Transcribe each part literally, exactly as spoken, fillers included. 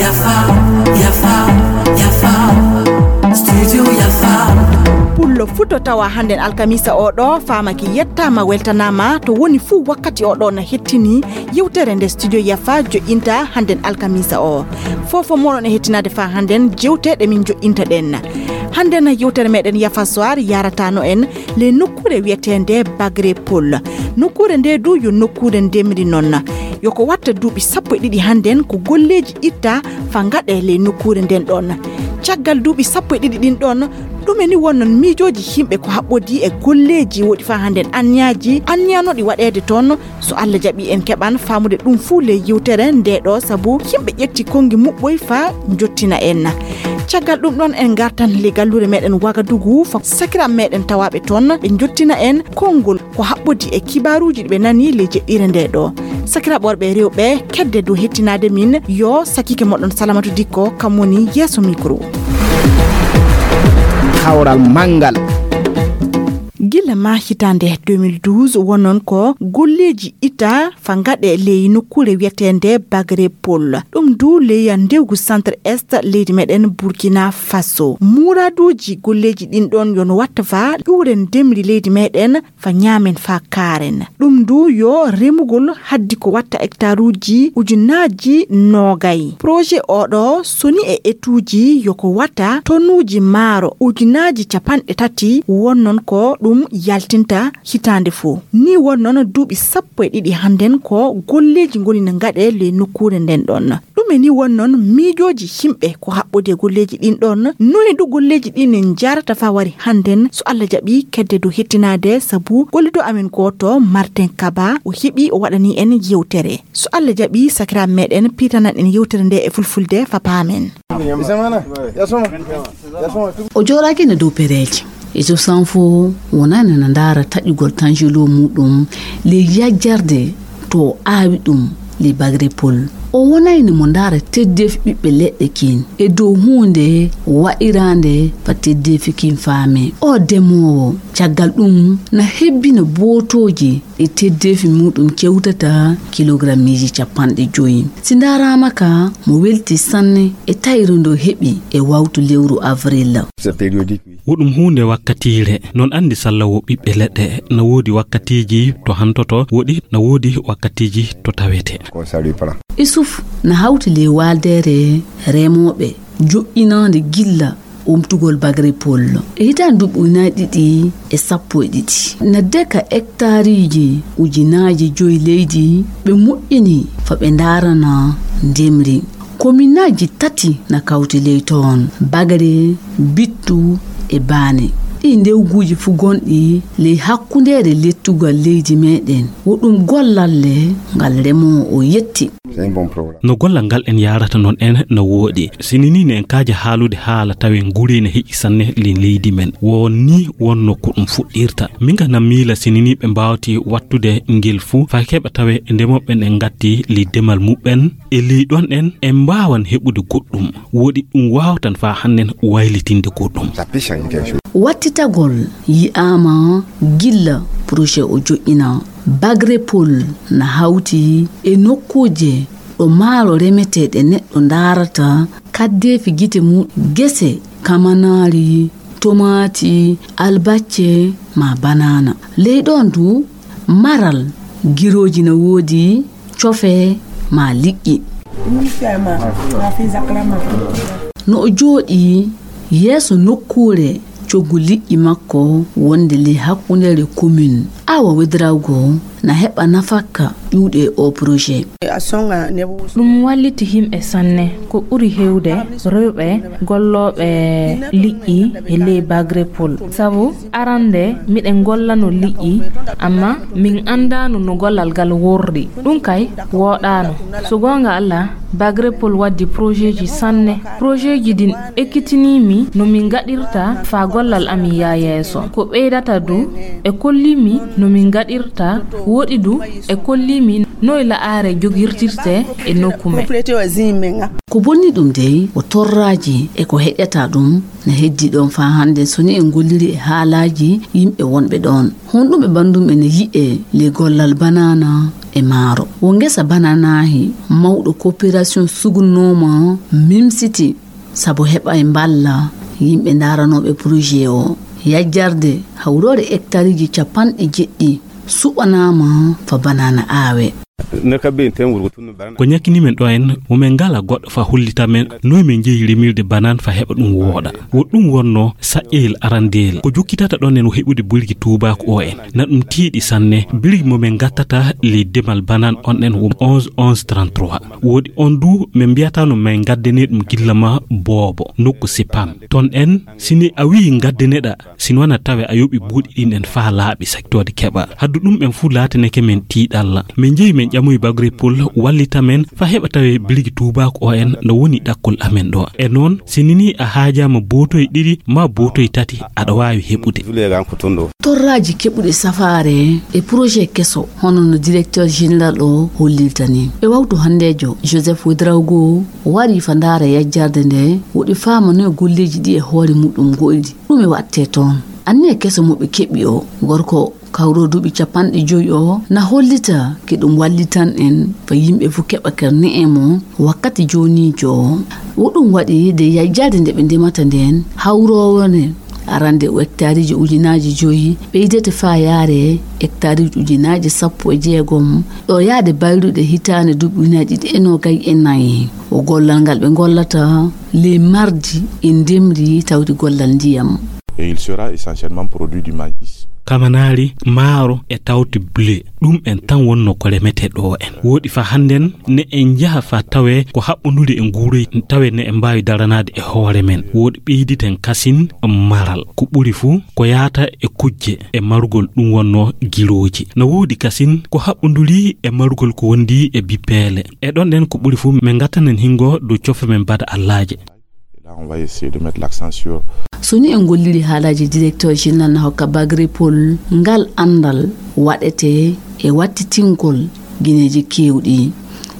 Yafa, yafa, yafa. Studio yafa. Pullo futo tawa hannden alkamisa o ɗo, faamaki yettaama, weltanaama to woni fuu wakkati o ɗo na hettini yewtere nde Studio Yafa joƴƴinta hannden alkamisa o. Fofo moɗon e hettinaade faa hannden jewte ɗe min joƴƴinta ɗen. Hannden yewtere meɗen Yafa Soir yaratano en le nokkuure wiyeteende Bagre Pol. Nokkuure nde du yo nokkuure ndemri non. Yo ko watta duuɓi sappo e ɗiɗi hannden ko golleeji itta fa ngaɗe le nokkuure nden ɗon. Caggal duuɓi sappo e ɗiɗi ɗin ɗon, ɗume ni wonnon miijooji yimɓe ko haɓɓodii e golleeji woɗi fa hannden anniyaaji, anniyanoɗi waɗeede toon? So Allah jaɓi en keɓan faamude ɗum fuu le yewtere nde ɗo, sabu yimɓe ƴetti konngi muɓɓoy fa jottina en. Caggal ɗum ɗon en ngartan le galluure meɗen Wagadugu fa sakiraaɓe meɗen tawaaɓe toon ɓe jottina en konngol ko haɓɓodi e kibaaruuji ɗi ɓe nani le jeɗɗire nde ɗo. Sakiraaɓe worɓe e rewɓe, kedde dow hettinaade min yo sakiike moɗon Salamatu Dikko, kam woni yeeso micro. Kawral manngal. Gila ma hitaande deux mille douze wonnon ko golleeji ita fa ngaɗe ley nokkuure wiyeteende Bagre Pol. Ɗum du ley ndewgu Centre Est leydi meɗen Burkina Faso. Muraduuji golleeji ɗin ɗon yo no watta fa ƴuuren ndemri leydi meɗen fa ñaamen fa kaaren. Ɗum du yo remugol haddi ko watta hectaruuji ujunaaji noogay. Projet o ɗo soni e etuuji yo ko watta tonuuji maaro ujunaaji capanɗe tati wonnon ko ɗum yaltinta hitaande fuu. Ni wonnon duuɓi sappo e ɗiɗi hannden ko golleeji ngoni no ngaɗe ley nokkuure nden ɗon. Ɗume ni wonnon miijooji yimɓe ko haɓɓodi e golleeji ɗin ɗon? Noy du golleeji ɗin jarata fa wari hannden? So Allah jaɓi kedde du hettinaade, sabu gollido amen gooto Martin Kaba o heɓi o waɗani en yewtere. So Allah jaɓi sakiraaɓe meɗen piitanan en yewtere nde e fulfulde fa paamen. O jooɗaaki no dow pereeji. E so sanfo wonani no ndaara taƴugol tanjelo muɗum ley yajjarde to o aawi ɗum ley Bagre Pol. O wonayno mo ndaara teddeefi ɓiɓɓe leɗɗe kin e dow huunde wa'iraande fa teddeefi kin faame. O demoowo caggal ɗum na hebbina bootooji e teddeefi muɗum kewtata kilogrammiiji capanɗe joyi. Si ndaaraama ka mo welti sanne e tayre ndo heɓi e wawtu lewru avril. Wo ɗum huunde wakkatiire, non anndi salla wo ɓiɓɓe leɗɗe, na woodi wakkatiiji to hantoto, woɗi na woodi wakkatiiji to tawete. Isuf na hawti ley waaldeere remooɓe joƴƴinaande gilla omtugol Bagre Pol. E hitaande duuɓi ujunaaji ɗiɗi e sappo e ɗiɗi, na deka hektaariiji ujunaaji joyi leydi ɓe moƴƴini fa ɓe ndaarana ndemri. Kominaaji tati na kawti ley toon, Bagre, Bittu e Baane. Ɗii ndewguuji fuu gonɗi ley hakkundeere lettugal leydi meɗen, wo ɗum gollal le ngal remoowo o yetti. No gollal ngal en yaarata noon en no wooɗi. Sinini ne en kaaja haalude haala tawi en guri ne heƴi sanne le leydi men. Wo ni wonno ko ɗum fuɗɗirta. Min ga na miila sinini ɓe mbaawti wattude ngel fuu, fay keɓa tawe ndemoɓe ɓen en ngatti le demal muɓɓen. E ley ɗon en, en mbaawan heɓude goɗɗum. Woɗi ɗum waawtan faa hannen waylitinde goɗɗum. Wattitagol yi'aama gilla projet o joƴƴina. Bagre Pol na hawti e nokkuuje ɗo maaro remetee ɗe neɗɗo ndaarata kaddeefi gite mum, gese, kamanaari, tomaati, albacce, maa banaana. Ley ɗoon du, maral, girooji na woodi, cofe, maa liƴƴi. No o jooɗii yeeso nokkuure coggu liƴƴi makko wonde ley hakkundeere komin, awa wedrawgo na heɓa nafakka ƴuuɗe o projet. Ɗum walliti yimɓe sanne. Ko ɓuri heewde, rewɓe gollooɓe liƴƴi e ley Bagre Pol. Sabu arande miɗen gollano liƴƴi, amma min anndaano no gollal ngal worri. Ɗum kay wooɗaano. So goonga Alla, Bagre Pol waddi projetji sanne. Projetji ɗin ekkitinii mi no min ngaɗirta faa gollal amin yaa yeeso. Ko ɓeydata du, e kolli mi No min ngaɗirta, woɗi du e kolli min noy la'are jogirtirte e nokku men. Ko bonni ɗum dey, ko torraaji e ko heƴata ɗum na heddi ɗon faa hannde, so ni en golliri e haalaaji yimɓe wonɓe ɗon. Honɗum e banndum ene yi'ee ley gollal banaana e maaro? Wo ngesa banaanaahi mawɗo coopération sugunnooma Mimsiti sabu heɓa e mballa yimɓe ndaaranooɓe projet o. Yajjarde hawroore hectareeji capanɗe jeɗɗi suɓanaama fa banaana aawe. Ko ñakkini men ɗo en, wo men ngala goɗɗo fa hollita men noy men jeyi remirde banaan fa heɓa ɗum wooɗa. Wo ɗum wonno saƴƴeyel arandeyel. Ko jokkitata ɗon en wo heɓude birgi tuubaaku o en. Na ɗum tiiɗi sanne, birgi mo men gattata ley demal banaan on en wo onze onze trente-trois. Woodi on du men mbiyata no men gaddane ɗum gilla ma boobo, nokku sipam. Ton en, si ni a wi'i gaddaneɗa, si no wana tawe a yoɓi buuɗi ɗin en faa laaɓi saktoode keɓa. Haddu ɗum en fuu laatanake men tiiɗalla. Men jeyi men ƴamoyi Bagrepol wallita men fa heɓa tawe birgi tuubaaku o en no woni ɗakkol amen ɗo. E noon, si ni ni a haajaama bootoy ɗiɗi maa bootoy tati, aɗa waawi heɓude. Torraaji keɓuɗi safaare e projet keso, hono no directeur général o hollirta ni. E wawtu hanndeejo, Joseph Ouedraogo wari fa ndaara yajjarde nde, woɗi faama noy golleeji ɗi e hoore muɗum go'idi. Ɗume waɗtee toon? Anniya keso mo ɓe keɓi o, gorko kawro duuɓi capanɗe joyi o, na hollita ke ɗum wallitan en fa yimɓe fuu keɓa karne'e mo wakkati jooniijo o. Wo ɗum waɗi de yajjaade nde ɓe ndemata ndeen, hawroowo nde arande o hectareeji ujunaaji joyi, ɓeydete faa yaare hectareeji ujunaaji sappo e jeegom, ɗo yaade bayruɗe hitaande duuɓi ujunaaji ɗiɗi e noogay e nayi. O gollal ngal ɓe ngollata ley mardi e ndemri tawti gollal ndiyam. Et il sera essentiellement produit du maïs. Kamanaari, maaro e tawti blé, ɗum en tan wonno ko remetee ɗo en. Woɗi fa hannden ne en njaha fa tawe ko haɓɓunduri e nguuroy, tawe ne en mbaawi daranaade e hoore men. Woɗi ɓeyditen kasin maral. Ko ɓuri fuu ko yaata e kujje e marugol ɗum wonno girooji. Na woodi kasin ko haɓɓunduri e marugol ko wondi e bippeele. E ɗon ɗen ko ɓuri fuu men ngattanen hingo dow cofe men bada allaaje. Et là, on va essayer de mettre l'accent sur. So ni en golliri haalaaji directeur général na hokka Bagrepol, ngal anndal waɗete e wattitingol gineeji keewɗi.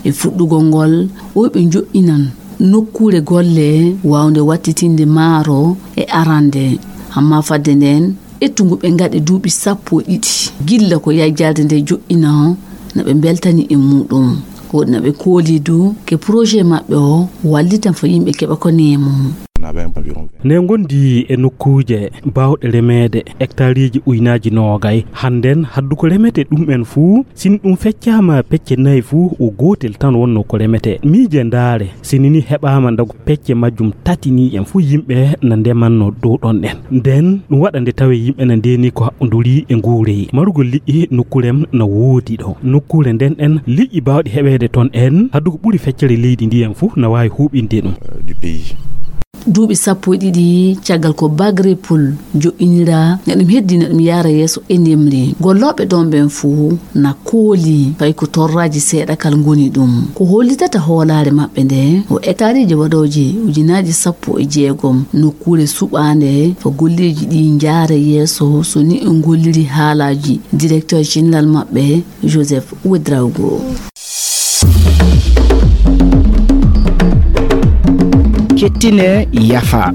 E fuɗɗugol ngol, o ɓe njoɗɗinan nokkuure golle waawnde wattitinde maaro e arande. Amma fadde nden, ƴettu ngu ɓe ngaɗi duuɓi sappo e ɗiɗi gilla ko yajjaade nde joɗɗina, na ɓe mbeltani e muɗum. Ko na ɓe kooli du ke projet maɓɓe o wallitan fo yimɓe keɓa ko neemo. Ne ngondi e nokkuuje baawɗe remeede hectareeji ujunaaji noogay. Hannden haddu ko remete ɗum en fuu, sin ɗum feccaama pecce nayi fuu, o gootel tan wonno ko remete. Miije ndaare, si ni ni heɓaama ndagu pecce majjum tati ni en fuu yimɓe na ndemanno dow ɗon ɗen. Nden ɗum waɗa nde tawe yimɓe na ndeeni ko haɓɓunduri e nguureyi. Marugol liƴƴi nokkuure am na woodi ɗo. Nokkuure nden en liƴƴi baawɗi heɓeede ton en haddu ko ɓuri feccere leydi ndi en fuu na waawi huuɓinde ɗum. Euh, du pays. Duuɓi sappo e ɗiɗi caggal ko Bagrepol joɗɗinira, na ɗum heddi na ɗum yaara yeeso e ndemri. Gollooɓe ɗon ɓen fuu na kooli fay ko torraaji seeɗa kal ngoni ɗum. Ko hollitata hoolaare maɓɓe nde, o hectareeji waɗooji ujunaaji sappo e jeegom nokkuure suɓaande fo golleeji ɗi njaara yeeso, so ni o golliri haalaaji directeur général maɓɓe, Joseph Ouedraogo. Kettine yafa.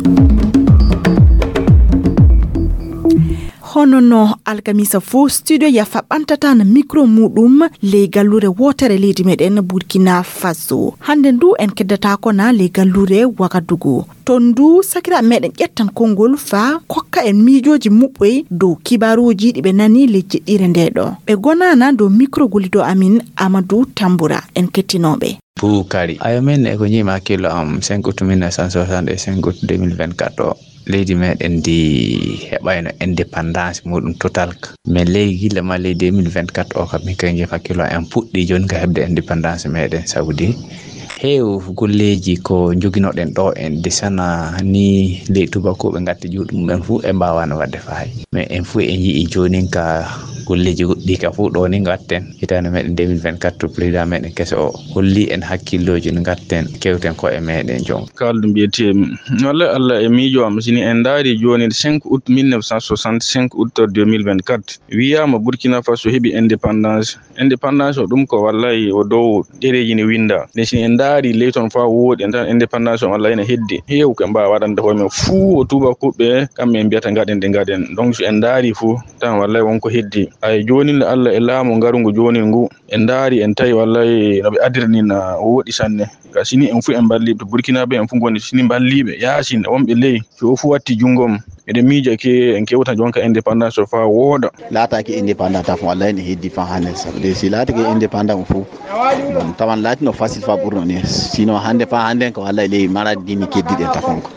Hono no alkamisa fof, studio yafa ɓantata na micro muɗum ley gallure wootere leydi meɗen Burkina Faso. Hannde ndu en keddata ko na ley gallure Wagadugu. Ton ndu sakiraaɓe meɗen ƴettan konngol faa kokka en miijooji muɓɓoy dow kibaaruuji ɗi ɓe nani ley jeɗɗiire nde ɗo. Ɓe gonaana dow micro gollido amin Amadou Tambura. En kettinooɓe. Buukari. Ayo, min e ko njiimi hakkillo am, cinq août mille neuf cent soixante e cinq août deux mille vingt-quatre o, leydi meɗen ndi heɓayno indépendance muɗum total ka. Mais ley gila ma ley deux mille vingt-quatre o ka, min kay njiimi hakkillo am, en puɗɗi jooni ka heɓde indépendance meɗen, sabu di Heew golleeji ko njoginoɗen ɗo en desana ni ley tubakuuɓe ngatte juuɗe mumen fuu e mbaawano waɗde faay. Mais en fuu en yi'i joonin ka golleeji goɗɗi ka fuu ɗo ni ngatten. Hitaande meɗen deux mille vingt-quatre to président meɗen keso o holli en hakkillooji no ngatten kewten ko e meɗen jon. Kaldu mbiyetee mi. Wallay Allah e miijo am sini en ndaari jooni cinq août mille neuf cent soixante-cinq août deux mille vingt-quatre. Wiyaama Burkina Faso heɓi indépendance. Indépendance o ɗum ko wallay o dow ɗereeji ne winnda. Nde si en ndaari ley toon faa wooɗi en tan indépendance o wallay ne heddi. Heew ko en mbaawa waɗande koye men fuu o tuubakuuɓe kamɓe en mbiyata ngaɗen de ngaɗen. Donc so en ndaari fuu tan wallay won ko heddi. Ay joonin le Allah e laamu ngarungu joonin ngu. En ndaari en tawi wallay no ɓe adiri ni na wooɗi sanne. Ka sini en fuu en mballi to Burkina ɓe en fuu ngoni sini mballiiɓe yaasin wonɓe ley. Si o fuu watti junngo mum. Eɗen miija ke en kewta jonka indépendance o faa wooɗa. Laataaki indépendant tan fof, wallay ne heddi faa hannde. Sabu de si laatake indépendant o fof, bon, tawan laatino facile faa ɓurno ni. Sinon hannde faa hannde ko wallay ley malade dini keddiɗe tafon ko.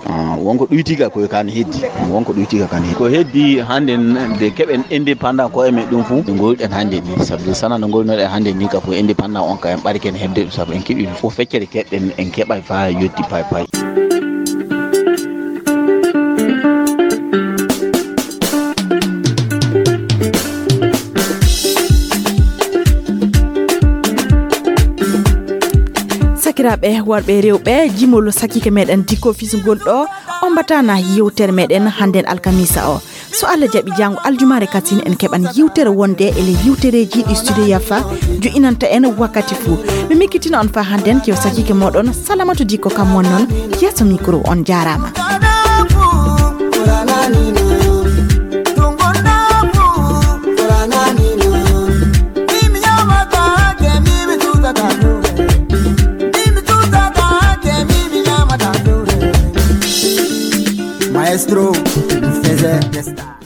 Ah, wonko ɗuytiga ko kan heddi. Wonko ɗuytiga kan heddi. Ko heddi hannde n-, de keɓen indépendant ko e men ɗum fof. Ɗo ngolɗen hannde ni. Sabu de sana no ngolnoɗen hannde ni ka fof indépendant on ka en ɓari ken heɓde ɗum. Sabu en keɓi fof feccere keɓɗen en keɓay faa yotti pay pay. Sakiraaɓe worɓe e rewɓe, jimol sakiike meɗen Diko Fis ngol ɗo, on mbatana yewtere meɗen hannden alkamisa o. So Allah jaɓi, janngo aljumaare katin en keɓan yewtere wonde e ley yewtereeji ɗi Studio Yafa jo'inanta en wakkati fuu. Mi mikkitina on faa hannden kew sakiike mooɗon Salamatu Diko kam won noon yeeso micro. On jaaraama. Maestro, faisait des stars.